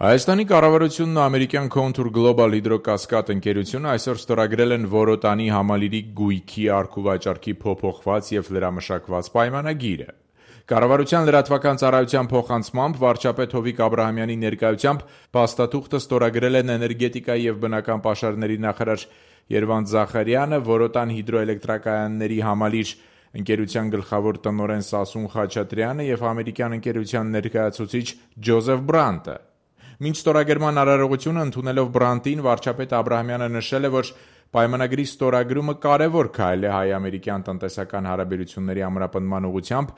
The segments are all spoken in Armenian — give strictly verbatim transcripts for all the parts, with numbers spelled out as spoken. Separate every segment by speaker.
Speaker 1: Հայաստանի կառավարությունն ու ամերիկյան Contour Global հիդրոկասկադ ընկերությունը այսօր ստորագրել են Որոտանի համալիրի գույքի առքուվաճառքի փոփոխված և լրամշակված պայմանագիրը։ Կառավարության լրատվական ծառայության փոխանցմամբ վարչապետ Հովիկ Աբրահամյանի ներկայությամբ փաստաթուղթը ստորագրել են էներգետիկայի և բնական պաշարների նախարար Երվանդ Զախարյանը, Որոտան հիդրոէլեկտրակայանների համալիր ընկերության գլխավոր տնօրեն Սասուն Խաչատրյանը և ամերիկյան ընկերության ներկայացուցիչ Ջոզեֆ Բրանտը։ Մինչ ստորագրման արարողությունը ընդունելով Բրանտին, վարչապետ Աբրահամյանը նշել է, որ պայմանագրի ստորագրումը կարևոր քայլ է հայ-ամերիկյան տնտեսական հարաբերությունների ամրապնդման ուղղությամբ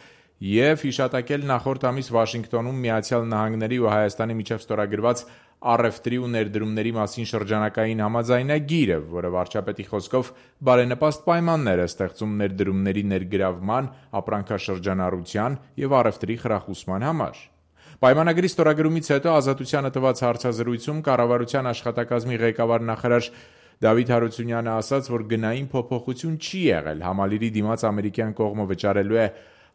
Speaker 1: և հիշատակել նախորդ ամիս Վաշինգտոնում Միացյալ Նահանգների ու Հայաստանի միջև ստորագրված առևտրի ու ներդրումների մասին շրջանակային համաձայնագիրը, որը վարչապետի խոսքով բարենպաստ պայմաններ է ստեղծում ներդրումների ներգրավման, ապրանքաշրջանառության և առևտրի խրախուսման համար։ Պայմանագրի ստորագրումից հետո Ազատությանը տված հարցազրույցում կառավարության աշխատակազմի ղեկավար նախարար Դավիթ Հարությունյանը ասաց, որ գնային փոփոխություն չի եղել, համալիրի դիմաց ամերիկյան կողմը վճարելու է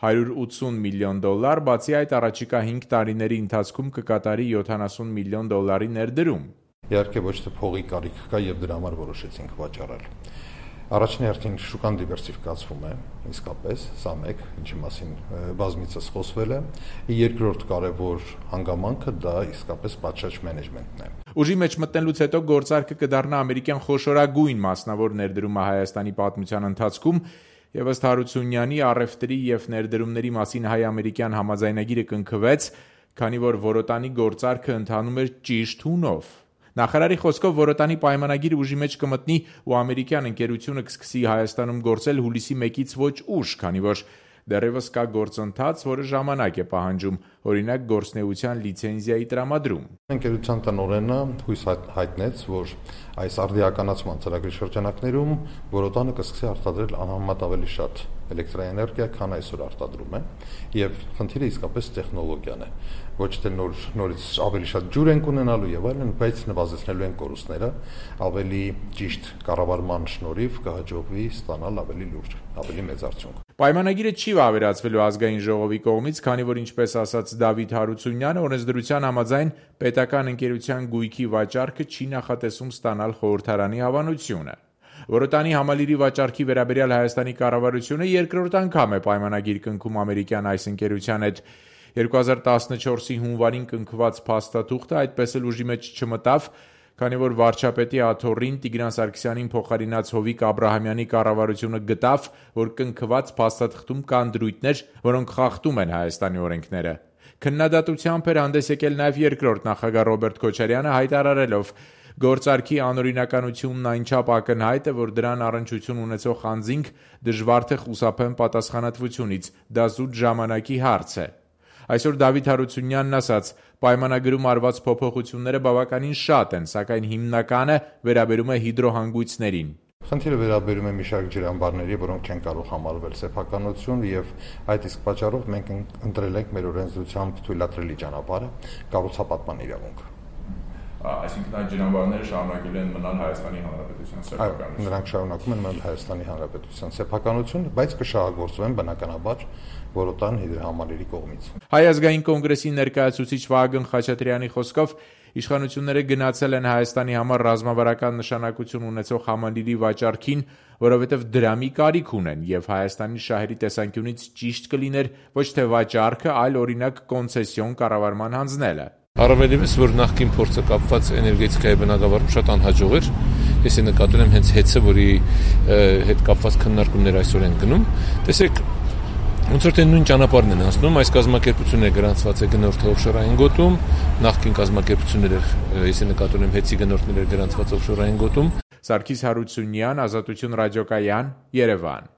Speaker 1: հարյուր ութսուն միլիոն դոլար, բացի այդ առաջիկա հինգ տարիների ընթացքում կկատարի յոթանասուն միլիոն դոլարի ներդրում։
Speaker 2: Իհարկե ոչ թե փողի կարիք կա եւ դրա համար որոշեցինք վաճառել։ Առաջին հերթին շուկան դիվերսիֆիկացվում է, իսկապես, սա մեկ, ինչի մասին բազմիցս խոսվել է։ Երկրորդ կարևոր հանգամանքը դա իսկապես պատշաճ մենեջմենտն է։
Speaker 1: Ուժի մեջ մտնելուց հետո գործարքը կդառնա ամերիկյան խոշորագույն մասնավոր ներդրումը Հայաստանի պատմության ընթացքում, եւ ըստ Հարությունյանի առևտրի եւ ներդրումների մասին հայ-ամերիկյան համաձայնագիրը կնքվեց, քանի որ Որոտանի գործարքը ընթանում էր ճիշտ հունով։ Նախարարի խոսքով Որոտանի պայմանագիրը ուժի մեջ կմտնի ու ամերիկյան ընկերությունը կսկսի Հայաստանում գործել հուլիսի մեկից ոչ ուշ, քանի որ դեռևս կա գործընթաց, որը ժամանակ է պահանջում, օրինակ գործնեության լիցենզիայի տրամադրում։
Speaker 2: Ընկերության տնօրենը հույս հայտնեց, որ այս արդիականացման ծրագրի շրջանակներում Որոտանը կսկսի արտադրել անհամեմատ ավելի շատ էլեկտրաէներգիա, քան այսօր արտադրում է, եւ խնդիրը իսկապես տեխնոլոգիան է։ Ոչ թե նոր նորից ավելի շատ ջուր ենք ունենալու եւ այլն, բայց նվազեցնելու են կորուստները, ավելի ճիշտ կառավարման շնորհիվ կհաջողվի ստանալ ավելի լուրջ, ավելի մեծ արդյունք։
Speaker 1: Պայմանագիրը չի վավերացվելու ազգային ժողովի կողմից, քանի որ ինչպես ասաց Դավիթ Հարությունյանը, օրենսդրության համաձայն պետական ընկերության գույքի վաճառքը չի նախատեսում ստանալ խորհրդարանի հավանությունը։ Որոտանի համալիրի վաճառքի վերաբերյալ Հայաստանի կառավարությունը երկրորդ անգամ է պայմանագիր կնքում ամերիկյան այս ընկերության հետ։ երկու հազար տասնչորսի հունվարին կնքված փաստաթուղթը այդպես էլ ուժի մեջ չմտավ, քանի որ վարչապետի աթոռին Տիգրան Սարգսյանին փոխարինած Հովիկ Աբրահամյանի կառավարությունը գտավ, որ կնքված փաստաթղթում կան դրույթներ, որոնք խախտում են Հայաստանի օրենքները։ Քննադատությամբ էր հանդես եկել նաև երկրորդ նախագահ Ռոբերտ Քոչարյանը, հայտարարելով. Գործարքի անօրինականությունն այնչափ ակնհայտ է, որ դրան առնչություն ունեցող անձինք դժվար թե խուսափեն պատասխանատվությունից, դա զուտ ժամանակի հարց է։ Այսօր Դավիթ Հարությունյանն ասաց. պայմանագրում արված փոփոխությունները բավականին շատ են, սակայն հիմնականը վերաբերում է հիդրոհանգույցներին։
Speaker 2: Խնդիրը վերաբերում է մի շարք ջրամբարների, որոնք չեն կարող համարվել սեփականություն, եւ այդ իսկ պատճառով մենք ընտրել ենք մեր օրենսդրությամբ թույլատրելի ճանապարհը՝ կառուցապատման իրավունք։
Speaker 1: Այսինքն այդ ջրամբարները շարունակելու են մնալ Հայաստանի Հանրապետության սեփականություն։
Speaker 2: Նրանք շարունակում են մնալ Հայաստանի Հանրապետության սեփականություն, բայց կշահագործվեն բնականաբար Որոտան հիդրոհամալիրի կողմից։
Speaker 1: Հայ ազգային կոնգրեսի ներկայացուցիչ Վահագն Խաչատրյանի խոսքով իշխանությունները գնացել են Հայաստանի համար ռազմավարական նշանակություն ունեցող համալիրի վաճառքին, որովհետև դրամի կարիք ունեն եւ Հայաստանի շահերի տեսանկյունից ճիշտ կլիներ ոչ թե վաճառքը, այլ օրինակ կոնցեսիոն կառավարման հանձնելը։
Speaker 3: Առավելևս, որ նախկին փորձը կապված էներգետիկայի բնագավառում շատ անհաջող էր, ես նկատել եմ հենց հեծը, որի հետ կապված քննարկումներ այսօր են գնում։ Տեսեք, ոնց որ թե նույն ճանապարհն են անցնում, այս կազմակերպությունները գրանցված է գնորդը օֆշորային գոտում, նախկին կազմակերպությունները, ես նկատել եմ հեծի գնորդները գրանցված օֆշորային գոտում։
Speaker 1: Սարգիս Հարությունյան, Ազատություն ռադիոկայան, Երևան։